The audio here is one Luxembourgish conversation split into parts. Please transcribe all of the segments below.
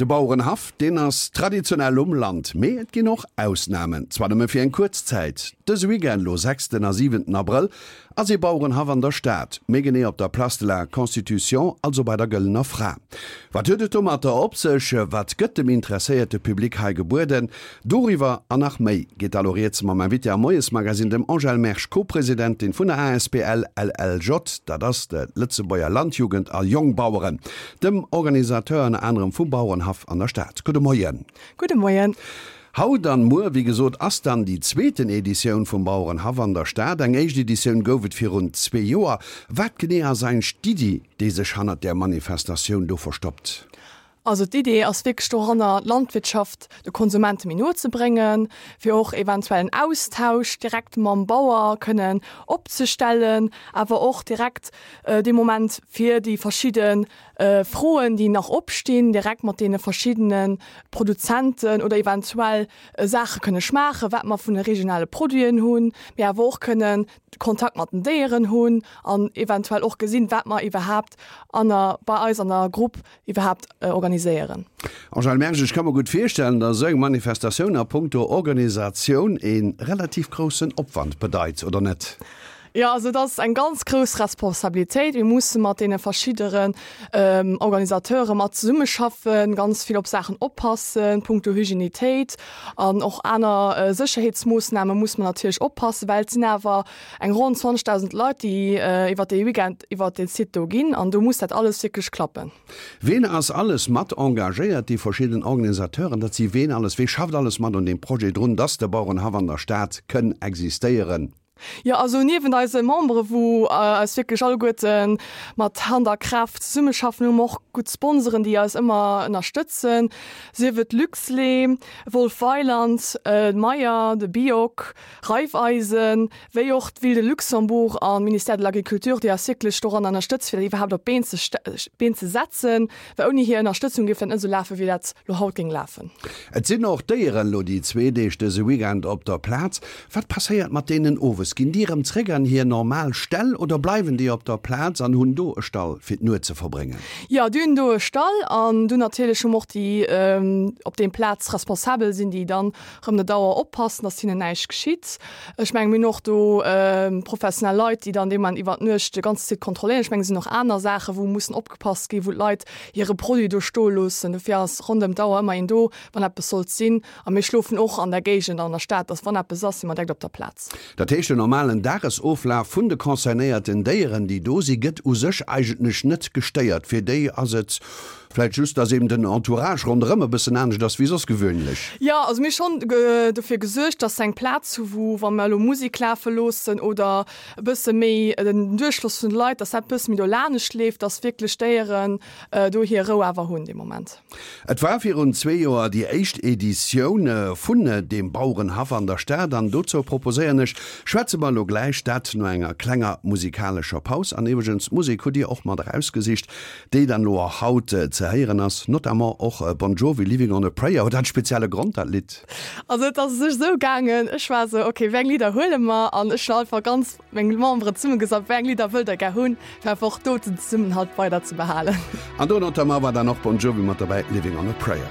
Bauerenhaff, deen ass traditionell um Land, mee et ginn och Ausnamen, zwar nëmme fir eng kuerz Zäit. Dëse Weekend, lo sechsten a siwenten Abrëll, ass ee Bauerenhaff an der Stad, méi genee op der Place de la Constitution, also bei der Gëllener Fra. Wat huet et domatter op sech? Wat gëtt dem interesséierte Public hei gebueden? Doriwwer an nach méi geet da lo rieds mam Invité am Moiesmagazine, dem Angèle Mersch, Co-Presidentin vun der asbl LLJ, dat ass d'Lëtzebuerger Landjugend a Jongbaueren, dem Organisateur ënner anerem vum Bauerenhaff an der Stad. Gudde Moien. Gudde Moien. Haut an muer, wéi gesot, ass dann déi zweeten Editioun vum Bauerenhaff an der Stad. Eng éischt Editioun gouf et virun zwee Joer. Wat genee ass eigentlech d'Iddi, déi sech hannert där Manifestatioun do verstoppt? Also d'Idee ass wierklech doranner, d'Landwirtschaft de Konsumente méi no ze bréngen, fir och eventuell en Austausch direkt mam Bauer kënnen opzestellen, awer och direkt dee Moment fir déi verschidde Froen, déi nach opstinn, direkt mat deene verschiddene Produzenten oder eventuell Saache kënne schmaachen, wat mer vun de regionale Produiten hunn, mee awer och kënnen Kontakt mat den Déieren hunn an eventuell och gesinn, wat mer iwwerhaapt an der, bei eis an der Grupp iwwerhaapt organiséieren. Angèle Mersch, Ech ka mer gutt virstellen, datt esou eng Manifestatioun a punkto Organisatioun ee relativ groussen Opwand bedeit, oder net? Jo, also et ass eng ganz grouss Responsabilitéit. Mir musse mat deene verschidderen Organisateure mat zesummeschaffen, ganz vill op Saachen oppassen, punkto Hygienitéit an och aner Sécherheetsmoossname musse mer natierlech oppassen, well et sinn awer eng ronn 20.000 Leit, déi iwwer dee Weekend iwwer dee Site do ginn an do muss dat alles wierklech klappen. Ween ass alles mat engagéiert? Déi verschidden Organisateuren, dat si ween alles? Wee schafft alles mat un deem Projet drun, dass de Bauerenhaff an der Stad kënn existéieren? Jo, also niewent eise Membere wou eis wierklech alleguerte mat Hand a Kraaft zesummeschaffen, hu mer och gutt Sponsoren, déi eis ëmmer ënnerstëtzen, sief et Luxlait, Wolf Weiland, Meyer, de Bioc, Raiffeisen, wéi och d'Ville de Luxembourg an d'Ministère de l'Agriculture, déi eis wierklech doran ënnerstëtzt, fir dat iwwerhaapt op d'Been ze Been ze setzen, well ouni hir Ënnerstëtzung géif dat net esou lafen, wéi dat lo haut géing lafen. Et sinn och Déieren elo déi zwee Deeg dëse Weekend op der Plaz. Wat passéiert mat deenen owes? Ginn déi erëm zréck an hir normal Ställ oder bleiwen déi op der Plaz an hunn do e Stall fir d'Nuet ze verbréngen? Jo, déi hunn do e Stall an dunn natierlech hu mer och déi op deem Plaz responsabel sinn, déi dann rëm der Dauer oppassen, dass hinnen näischt geschitt. Ech mengen, mir hunn och do professionell Leit, déi dann dee Moment iwwer d'Nuecht de ganze Site kontrolléieren. Ech mengen, et sinn och aner Saachen, wou mussen opgepasst ginn, wou d'Leit hire Produit do stoe loossen. Dofir ass rondëm d'Auer ëmmer een do, wann eppes sollt sinn. A mir schlofen och an der Géigend an der Stad, dass wann eppes ass, si mer direkt op der Plaz. Dat heescht, den normalen Dagesoflaf vun de concernéierten Déieren, déi do sinn, gëtt u sech eigentlech net gestéiert. Fir déi ass et Vläit just, dass eben den Entourage ronderëm e bëssen anescht ass wéi soss gewöhnlech. Jo, also mir hu schonn dofir gesuergt, dass se eng Plaz hu wou, wa mer elo Musek lafe loossen oder e bësse méi den Duerchfloss vun de Leit, dass dat e bësse méi do lanescht leeft, dass wierklech d'Déieren do hir Rou awer hunn dee Moment. Et war virun zwee Joer déi éischt Editioun vun deem Bauerenhaff an der Stad an dozou proposéieren ech, schwätze mer elo gläich, dat no enger klenger musikalescher Paus. An iwwregens, d'Musek hutt Dir och mat erausgesicht. Déi dann elo och haut ze héieren ass, notamment och Bon Jovi, Living on a Prayer. Huet dat e spezielle Grond, dat Lidd? Also et ass u sech esou gaangen, ech war esou, ok, wéi eng Lidder huele mer? An ech hunn einfach ganz meng Memberen zesummegesat, wéi eng Lidder wëllt der gär hunn, fir einfach och do den Zesummenhalt weider ze behalen. An do notamment war dann och Bon Jovi mat derbäi, Living on a Prayer.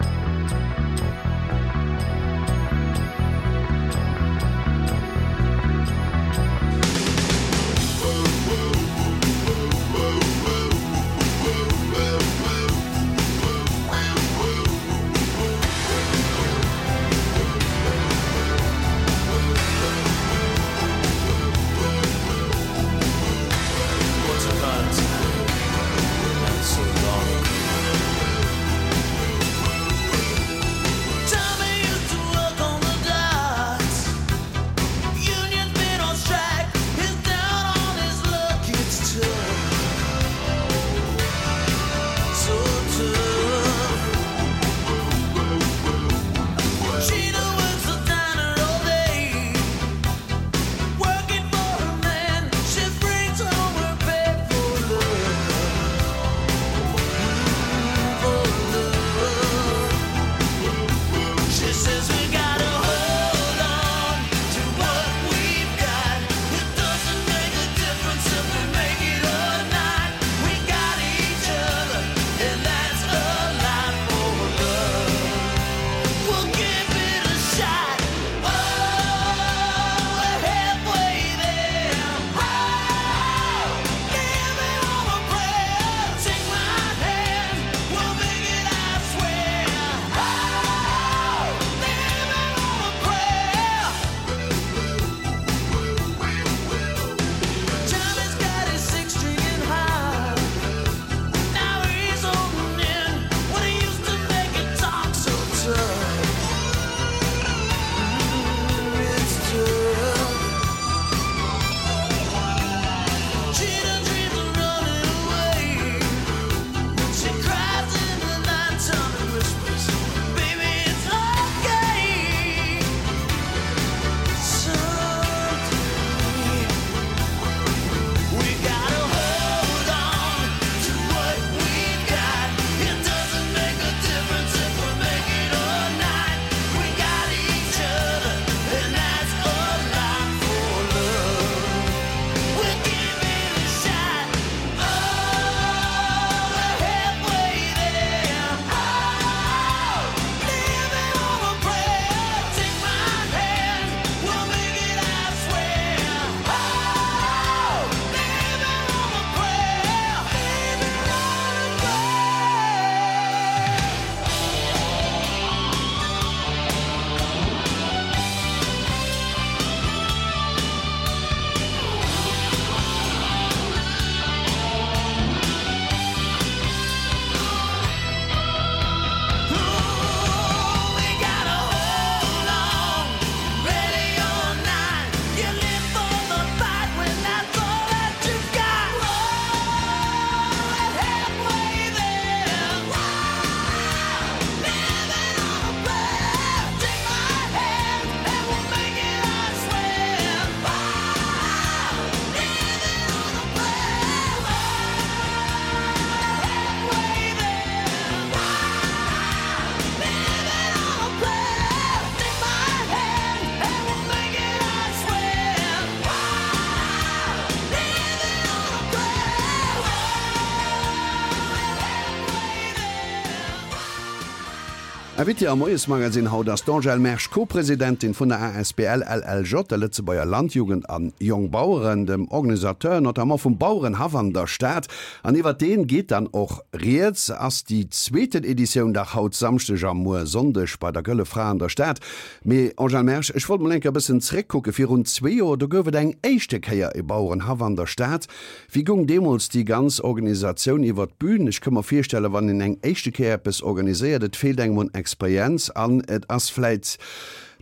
Invitée am Moiesmagazine haut ass d'Angèle Mersch, Co-Presidentin vun der asbl LLJ, der Lëtzebuerger Landjugend an Jongbaueren, dem Organisateur notamment vum Bauerenhaff an der Stad. An iwwert deen geet dann och rieds. Ass déi zweeten Editioun dach haut Samschdeg a muer Sonndeg bei der Gëlle Fra an der Stad. Mee Angèle Mersch, ech wollt mol eng Kéier e bëssen zréckkucken. Virun zwee Joer, do gouf et eng éischte Kéier e Bauerenhaff an der Stad. Wéi goung deemools déi ganz Organisatioun iwwer d'Bün? Ech ka mer virstellen, wann een eng éischte Kéier eppes organiséiert, et feelt engem un Experienz an et ass vläit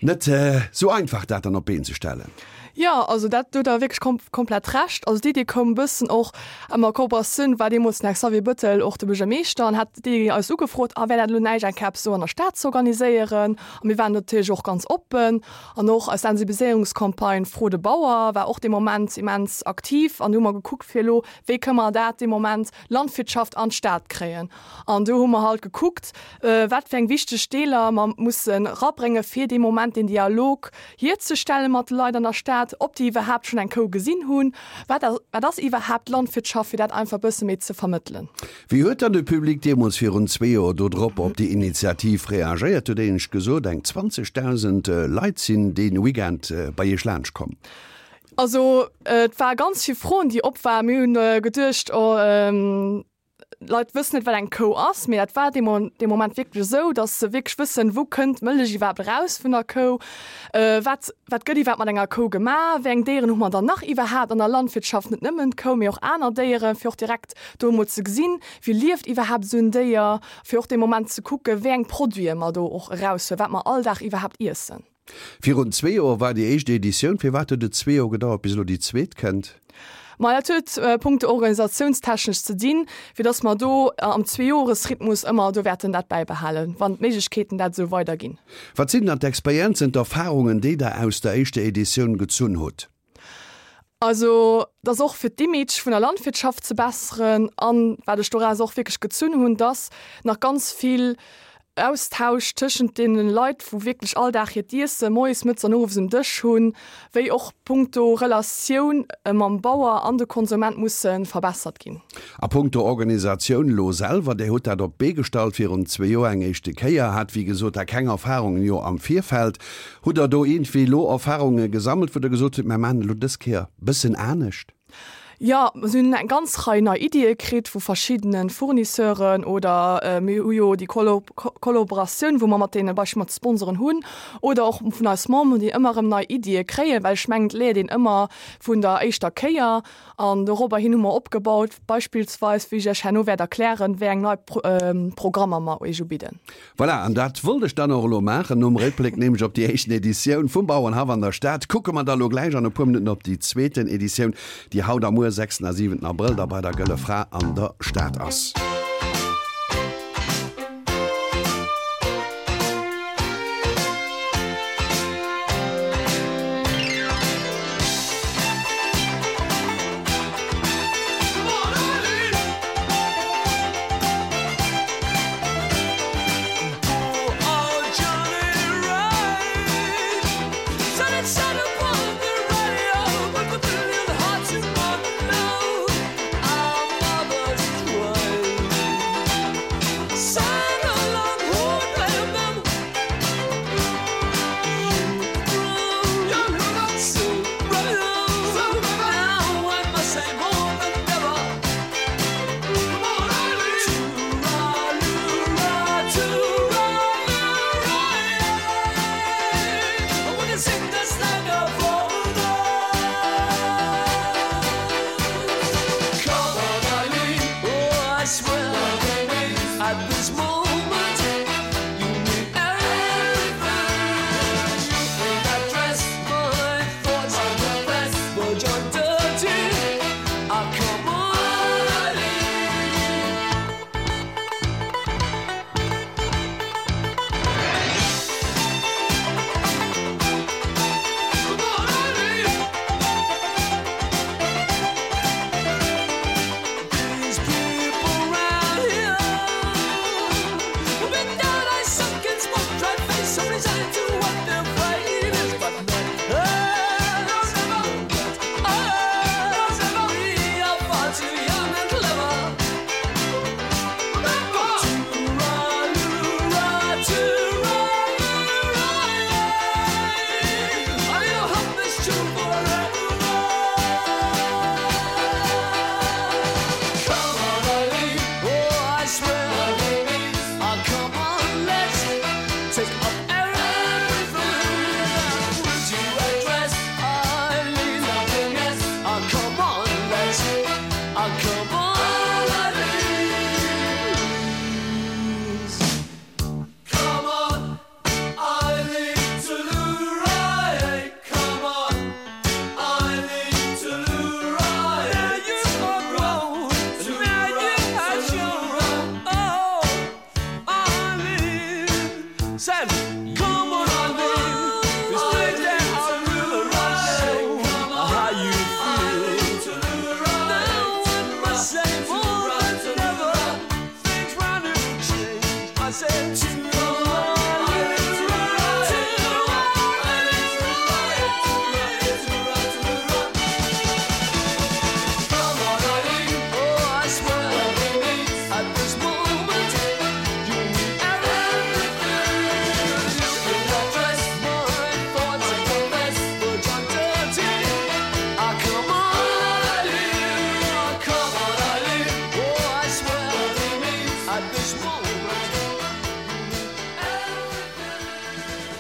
net esou einfach, dat dann op d'Been ze stellen. Jo, also dat, do hutt Der wierklech komplett Recht. Also d'Idee koum e bëssen och am Kooperatioun, war deemools den Här Xavier Bettel och de Buergermeeschter an hat déi eis ugefrot, a wär dat elo näischt eng Kéier eppes do an der Stad ze organiséieren. A mir waren natierlech och ganz oppen. An och eis Sensibiliséierungscampagne Fro de Bauer war och dee Moment immens aktiv. An do hu mer gekuckt fir elo, wéi kënne mer dat dee Moment Landwirtschaft an d'Stad kréien. An do hu mer halt gekuckt, wat fir eng wichteg Deeler mer mussen erabrénge fir dee Moment den Dialog hierzestelle mat de Leit an der Stad, ob déi iwwerhaapt schonn eng Kou gesinn hunn, wat wat ass iwwerhaapt Landwirtschaft, fir dat einfach e bësse méi ze vermëttelen. Wéi huet dann de Public deemools virun zwee Joer do drop op déi Initiativ reagéiert? Hutt Dir gesot, eng 20.000 Leit sinn dee Weekend bei Iech laanscht komm. Also et war ganz vill Froen, déi op waren. Mir hunn geduecht, oh, d'Leit wëssen net, wat eng Kou ass. Mee dat war dee Moment wierklech esou, datt se wierklech wëssen, wou kënnt d'Mëllech iwwerhaapt eraus vun der Kou, wat wat gëtt iwwerhaapt mat enger Kou gemaach, wéi eng Déieren hu mer dann nach iwwerhaapt an der Landwirtschaft, net nëmmen d'Kou, mee och aner Déieren, fir och direkt do emol ze gesinn, wéi lieft iwwerhaapt esou en Déier, fir och dee Moment ze kucken, wéi eng Produite mer do och eraushuelen, wat mer all Dag iwwerhaapt iessen. Virun zwee Joer war déi éischt Editioun. Firwat huet et zwee Joer gedauert, bis elo déi zweet kënnt? Maja, dat huet punkto organisationstechnesch ze dinn, fir dass mer do am Zweejoresrhythmus ëmmer do wäerten dat bäibehalen, wann d'Méiglechkeeten dat esou weiderginn. Wat sinn dann d'Experienzen, d'Erfarungen, déi Der aus der éischter Editioun gezunn hutt? Also, dass och fir d'Image vun der Landwirtschaft ze besseren an, wat ech doraus och wierklech gezunn hunn, dass nach ganz vill Austausch tëschent deene Leit, wou wierklech all Dag hiert Iesse moies, mëttes an owes um Dësch hunn, wéi och punkto Relatioun mam Bauer an de Konsument musse verbessert ginn. A punkto Organisatioun elo selwer, Dir hutt dat op d'Bee gestallt virun zwee Joer eng éischte Kéier, hat wéi gesot da keng Erfahrungen jo am Virfeld. Hutt Der do iergendwéi elo Erfahrunge gesammelt, wou Der gesot hutt, Mer maachen elo dës Kéier bëssen anescht? Jo, mer hunn eng ganz Rei nei Iddie kritt vu verschiddene Fournisseuren oder mir hu jo déi Kollaboratioun, wou mer mat deene Beispill mat Sponsoren hunn oder och vun eis Memberen, déi ëmmer erëm nei Iddie kréien, well ech mengen, et léiert een ëmmer vun der éischter Kéier. An dorobber hin hu mer opgebaut, beispillsweis, wéi ech Iech herno wäert erklären, wéi eng nei Programmer mer Iech ubidden. Voilà, an dat wollt ech dann och elo maachen. Nom Réckbléck nämlech op déi éischten Editioun vum Bauerenhaff an der Stad kucke mer da elo gläich an e puer Minutten op déi zweeten Editioun, déi haut a muer, 6 a 7 Abrëll, da bei der Gëlle Fra an der Stad ass.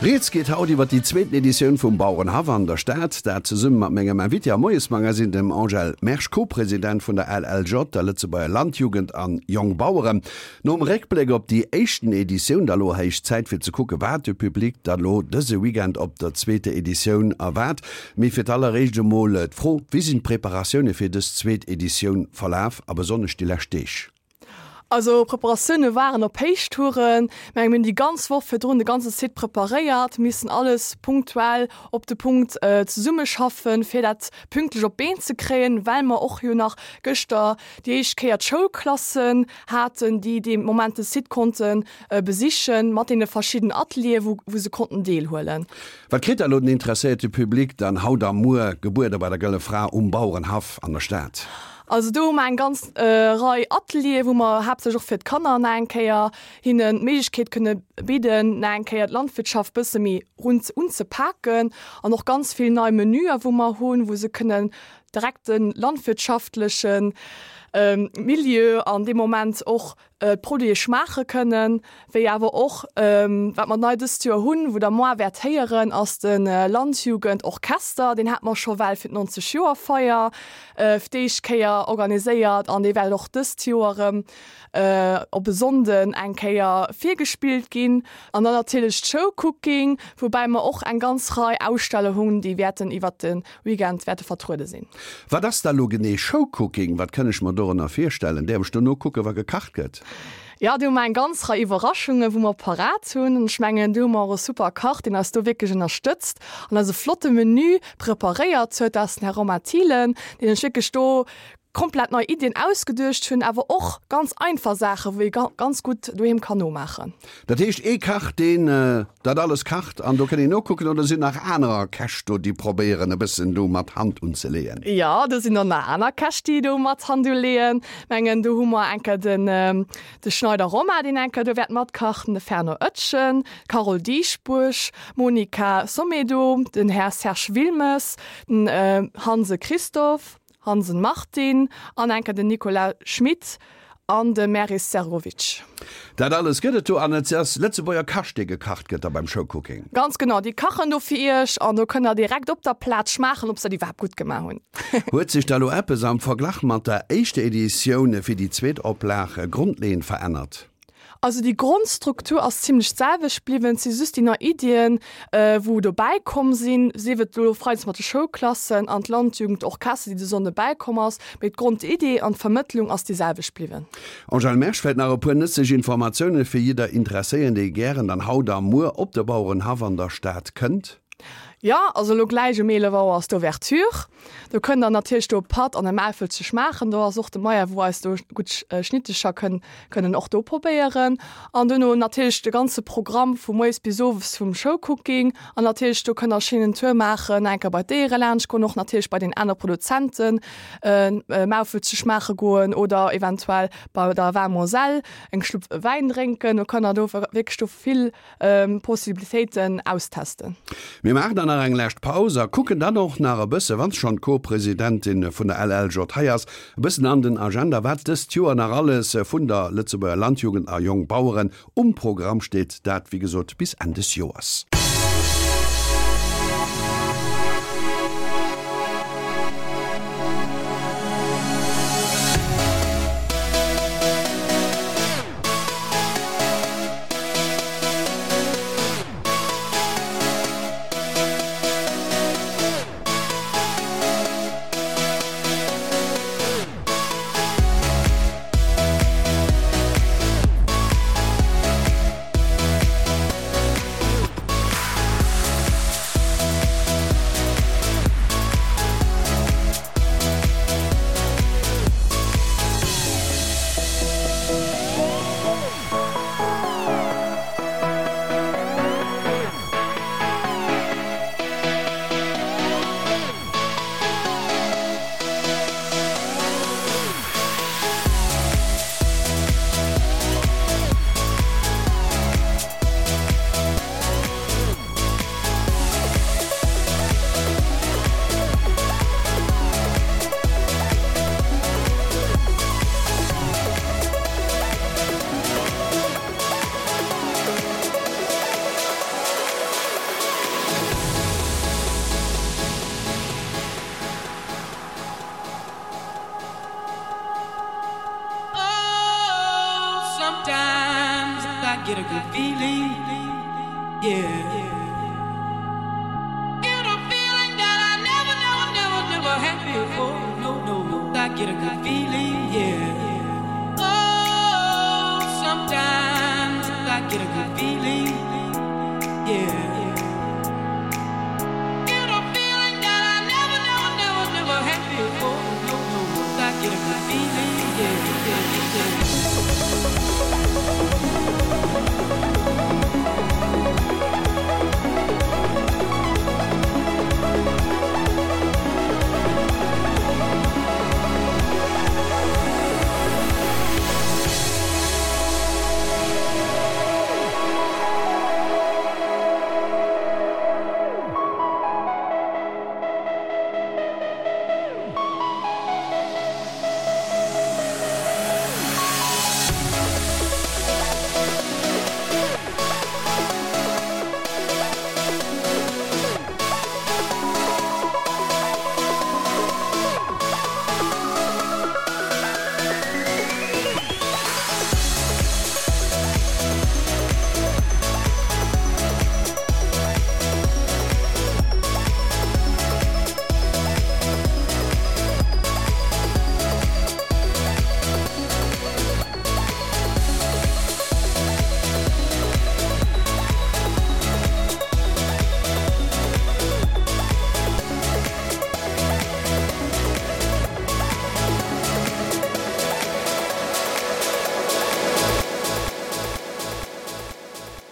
Rieds geet haut iwwer déi zweeten Editioun vum Bauerenhaff an der Stad. Dat zesumme mat mengem Invité am Moiesmagasinn, dem Angèle Mersch, Co-President vun der LLJ, der Lëtzebuerger Landjugend an Jongbaueren. Nom Réckbléck op déi éischten Editioun, da lo héich Zäit fir ze kucke wat de Public da lo dëse Weekend op der zweeter Editioun erwaart. Mee fir d'alleréischt emol d'Fro, Wéi sinn d'Preparatioune fir dës zweet Editioun verlaf a besonnesch déi lescht Deeg? Also Preparatioune waren op Héichtouren. Mir hunn déi ganz Woch virdrun de ganze Site preparéiert, missen alles punktuell op de Punkt zesummeschaffen, fir dat pünktlech op d'Been ze kréien, well mer och jo nach gëschter déi éischt Kéier d'Schoulklassen haten, déi dee Moment de Site konnte besichen, mat deene verschidden Ateliere wou se konnten deelhuelen. Wat kritt da lo den interesséierte Public dann haut a muer gebuede bei der Gëlle Fra um Bauerenhaff an der Stad? Also do hu mer eng ganz Rei Atelieren, wou mer haaptsächlech och fir d'Kanner nach eng Kéier hinnen d'Méiglechkeet kënne bidden, nach eng Kéier d'Landwirtschaft bësse méi unzepaken an och ganz vill nei Menüer wou mer hunn, wou se kënnen direkt de landwirtschaftleche Milieu an dee Moment och d'Produite schmaache kënnen, wéi awer och, wat mer nei dëst Joer hunn, wou Der moar wäert héieren, ass de Landjugend Orchester. Deen hate mer scho well fir d'Nonzeg Joer Feier fir d'éischt Kéier organiséiert an dee wäert och dëst Joer erëm op e Sonnden eng Kéier virgespillt ginn. An dann natierlech d'Showcooking, woubäi mer och eng ganz Rei Aussteller hunn, déi wäerten iwwert de Weekend wäerte vertruede sinn. Wat ass da lo genee Showcooking? Wat kënn ech mer dorënner virstellen? Däerf ech do nokucken, wa gekacht gëtt? Jo, do hu mer eng ganz Rei Iwwerraschungen, wou mer parat hunn. An ech mengen, do hu mer och e super Kach, deen eis do wierklech ënnerstëtzt an eis e flotte Menü preparéiert huet. Dat ass den Här Romain Thielen, deen sech wierklech do komplett nei Iddien ausgeduecht hunn, awer och ganz einfach Saachen, wou ee ganz gutt doheem kann nomaachen. Dat heescht ee Kach, deen dat alles kacht an do kënnt een nokucken, oder sinn nach anerer Käch do, déi probéieren e bëssen do mat Hand unzeleeën? Jo, do sinn och nach aner Käch, déi do mat Hand uleeën. Mengen do hu mer enker den de Schneider Romain, deen enker do wäert matkachen, de Fernand Oetjen, d'Carole Dieschbourg, d'Monica Sommedo, den Här Serge Wilmes, den Hanse Christophe. Hansen Martin an enker den Nicolas Schmit an de Meris Serovic. Dat alles gëtt et do an et ass Lëtzebuerger Kascht dee gekacht gëtt da beim Showcooking. Ganz genau, déi kachen do fir iech an do kënnt der direkt op der Plaz schmaachen ob se dat iwwerhaapt gutt gemaach hunn. Huet sech da lo eppes am Verglach mat der éischter Editioun fir déi zweet Oplag grondleeënd verännert? Also déi Grondstruktur ass zimlech d'selwecht bliwwen, et si just déi nei Iddien, wou dobäi komm sinn, sief et elo freides mat de Schoulklassen an d'Landjugendorchester, déi de Sonnde bäikomm ass, mee d'Grondidee an d'Vermëttlung ass déi selwecht bliwwen. Angèle Mersch, Vläit nach e puer nëtzlech Informatioune fir jidder Interesséieren, dee gären dann haut a muer op de Bauerenhaff an der Stad kënnt? Jo, also elo gläich um 11 Auer ass d'Ouverture. Do kënnt der natierlech do e Patt an e Maufel ze schmaachen. Do ass och de Meyer, wou eis do gutt Schnittecher kënn kënnen och do probéieren. An duerno natierlech de ganze Programm vu moies bis owes vum Showcooking. An natierlech do kënnt der schéinen Tour maachen, enker bei d'Déiere laanscht goen, och natierlech bei den aner Produzenten Maufel ze schmaache goen oder eventuell bei der Vin Moselle eng Schlupp Wäin drénken. Do kënnt der do wierklech do vill Possibilitéiten austesten. Mir maachen dann nach eng lescht Paus a kucken dann och nach e bësse, wann schonn d'Co-Presidentin vun der LLJ hei ass, e bëssen an den Agenda, wat dëst Joer nach alles vun der Lëtzebuerger Landjugend a Jongbaueren um Programm steet. Dat, wéi gesot, bis Enn des Joers. Sometimes I get a good feeling, yeah. Get a feeling that I never, never, never, never had before. No, no, I get a good feeling, yeah. Oh, sometimes I get a good feeling, yeah. Get a feeling that I never, never, never, never had before. No, no, I get a good feeling, yeah, yeah, yeah.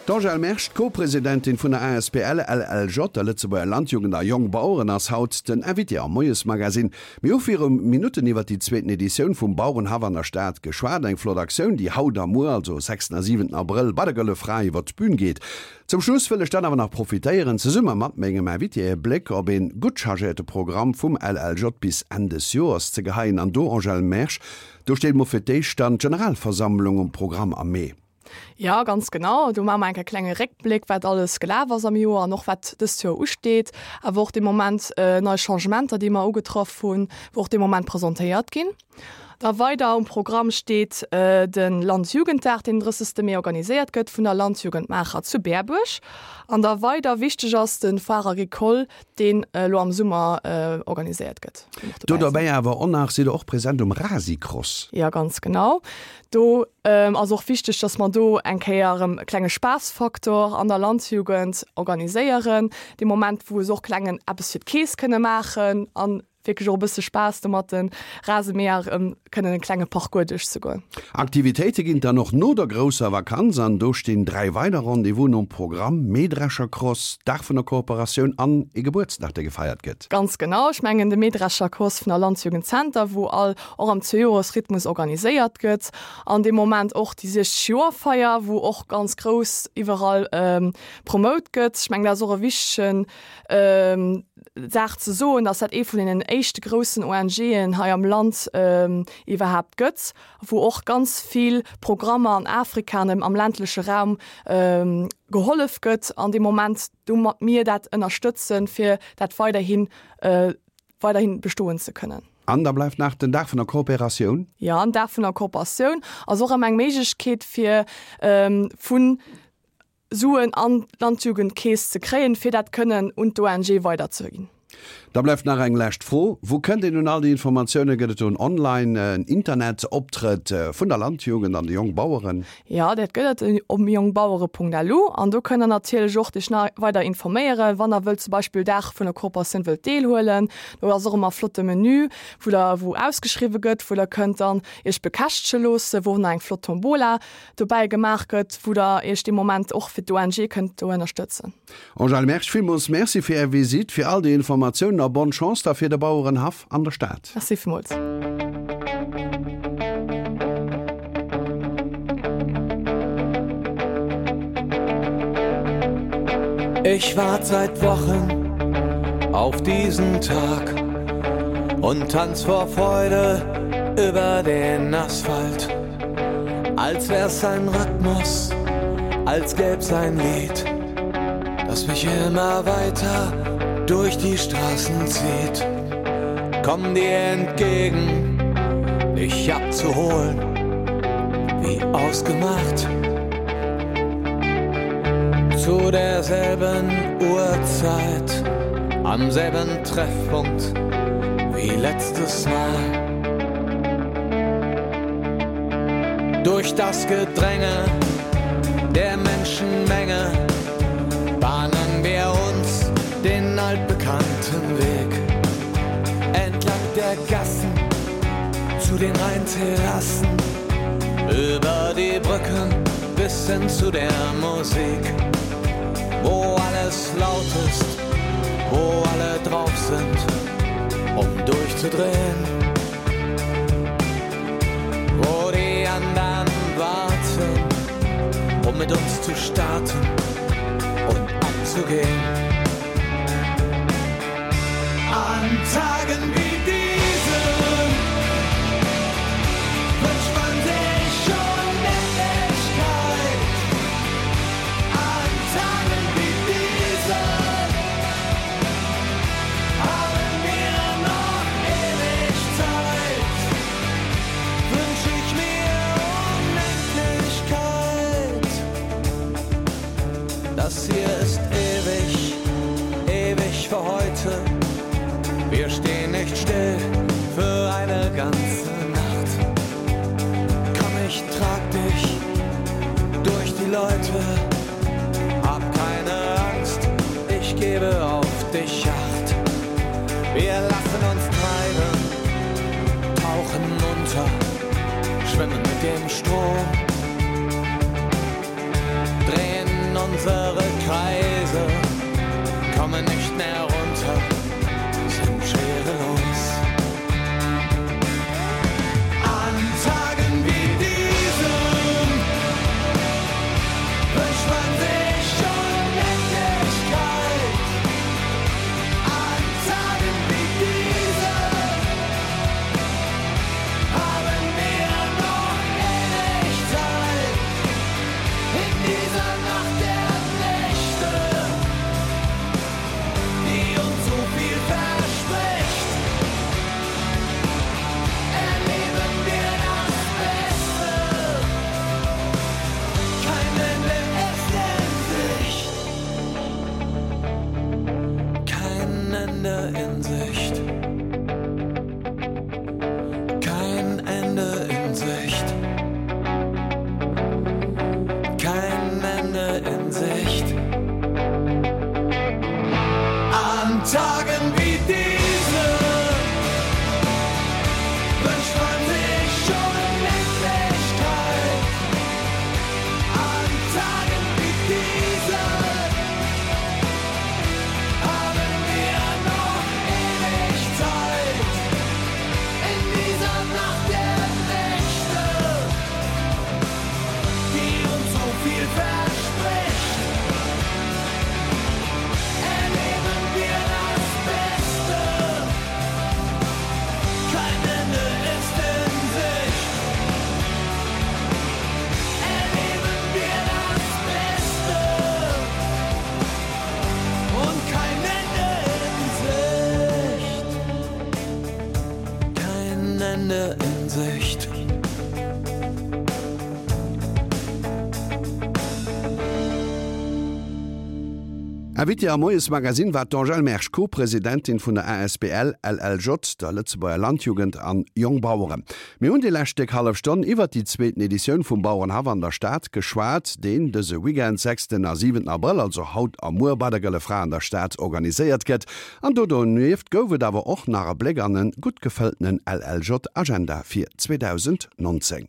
D'Angèle Mersch, d'Co-Presidentin vun der asbl LLJ, der Lëtzebuerger Landjugend a Jongbaueren, ass haut den Invité am Moiesmagazine. Mir hu viru Minutten iwwer déi zweeten Editioun vum Bauerenhaff an der Stad geschwat. Eng flott Aktioun, déi haut a muer, also sechsten a siwenten Abrëll, bei der Gëlle Fra iwwer d'Bün geet. Zum Schluss wëll ech dann awer nach profitéieren, zesumme mat mengem Invité e Bléck op ee gutt chargéierte Programm vum LLJ bis Enn des Joers ze geheien. An do, Angèle Mersch, do steet mol fir d'éischt dann d'Generalversammlung um Programm am Mee. Jo, ganz genau. Do maache mer enk e klenge Réckbléck, wat alles gelaf ass am Joer an och wat dëst Joer usteet. Awer och de Moment nei Changementer, déi mer ugetraff hunn, wou och dee Moment presentéiert ginn. Da weider um Programm steet de Landjugenddag, deen den 30. Mee organiséiert gëtt vun der Landjugend Maacher zu Bäerbuerg. An da weider wichteg ass de Foire Agricole, deen elo am Summer organiséiert gëtt. Do derbäi awer och nach, sidd Der och present um Rasicross? Jo, ganz genau. Do ass och wichteg, dass mer do eng Kéier erëm e klenge Spaassfaktor an der Landjugend organiséieren, dee Moment, wou se och klengen eppes fir d'Keess kënne maachen a wierklech och e bësse Spaass do mat de Rasemäher erëm kënnen e klenge Parcours duerchzegoen. Aktivitéite ginn et dann och no der grousser Vakanz an do stinn 3 weider Rendez-vousen um Programm, Mähdreschercross, Dag vun der Kooperatioun an ee Gebuertsdag, dee gefeiert gëtt. Ganz genau, ech mengen de Mähdreschercross vun der Landjugend Center, wou all och am Zweejoresrhythmus organiséiert gëtt an dee Moment och déi 60 Joer-Feier, wou och ganz grouss iwwerall promout gëtt. Ech mengen dat ass och e wichtegen Saach ze soen, dass dat ee vun deenen éischte groussen ONGen hei am Land iwwerhaapt gëtt, wou och ganz vill Programmer an Afrika an am ländleche Raum gehollef gëtt an dee Moment domat mir dat ënnerstëtzen, fir dat weiderhin weiderhin bestoen ze kënnen. An da bleift nach den Dag vun der Kooperatioun. Jo, den Dag vun der Kooperatioun ass och ëmmer eng Méiglechkeet fir vun Suen an d'Landjugendkeess ze kréien, fir dat kënnen un d'ONG weiderzeginn. Da bleift nach eng lescht Fro, Wou kënnt een un all déi Informatiounen? Gëtt et do en Online, en Internetoptrëtt vun der Landjugend an de Jongbaueren? Jo, dat gëtt et op jongbauere.lu an do kënnt der natierlech och dech nach weider informéieren, wann der wëllt zum Beispill Dag vun der Kooperatioun wëllt deelhuelen. Do ass och ëmmer e flotte Menü, wou der, wou ausgeschriwwe gëtt, wou der kënnt dann iech bekäschtege loossen, wou och nach eng flott Tombola dobäi gemaach gëtt, wou der iech dee Moment och fir d'ONG kënnt do ënnerstëtzen. Angèle Mersch, villmools Merci fir Är Visitt, fir all déi Informatiounen a bonne Chance da fir de Bauerenhaff an der Stad. Merci villmools. Ich wart seit Wochen auf diesen Tag und tanz vor Freude über den Asphalt. Als wär's ein Rhythmus, als gäb's ein Lied, das mich immer weiter durch die Straßen zieht. Komm dir entgegen, dich abzuholen. Wie ausgemacht. Zu derselben Uhrzeit, am selben Treffpunkt wie letztes Mal. Durch das Gedränge der Menschenmenge bahnen wir uns den altbekannten Weg. Entlang der Gassen zu den Rheinterrassen, über die Brücken bis hin zu der Musik, wo alles laut ist, wo alle drauf sind, um durchzudrehen. Wo die anderen warten, um mit uns zu starten und abzugehen. An Tagen wie diesen wünscht man sich Unendlichkeit. An Tagen wie diesen haben wir noch ewig Zeit. Wünsch ich mir Unendlichkeit. Das hier ist ewig, ewig für heute. Wir stehen nicht still für eine ganze Nacht. Komm, ich trag dich durch die Leute. Hab keine Angst, ich gebe auf dich Acht. Wir lassen uns treiben, tauchen unter, schwimmen mit dem Strom, drehen unsere Kreise, kommen nicht mehr runter, sind schwerelos. An Tagen wie diesen wünscht man sich Unendlichkeit. An Tagen wie diesen haben wir noch ewig Zeit. In dieser Nacht der Nächte, die uns so viel verspricht, erleben wir das Beste. Kein Ende ist in Sicht. Kein Ende in Sicht. Kein Ende in Sicht. Kein Ende in Sicht. An Tagen wie diesen wünscht man sich Unendlichkeit. An Tagen wie diesen haben wir noch ewig Zeit. In dieser Nacht der Nächte, die uns so viel verspricht, erleben wir das Beste. Kein Ende ist in Sicht. Erleben wir das Beste und kein Ende in Sicht. Kein Ende in Sicht. Invitée am Moiesmagazin war d'Angèle Mersch, Co-Presidentin vun der asbl LLJ, der Lëtzebuerger Landjugend an Jongbaueren. Mir hunn déi lescht déck hallef Stonn iwwert déi zweeten Editioun vum Bauerenhaff an der Stad geschwat, deen dëse Weekend, sechsten a siwenten Abrëll, also haut a muer, bei der Gëlle Fra an der Stad organiséiert gëtt. An do donieft gouf et awer och nach e Bléck an e gutt gefëlltenen LLJ-Agenda fir 2019.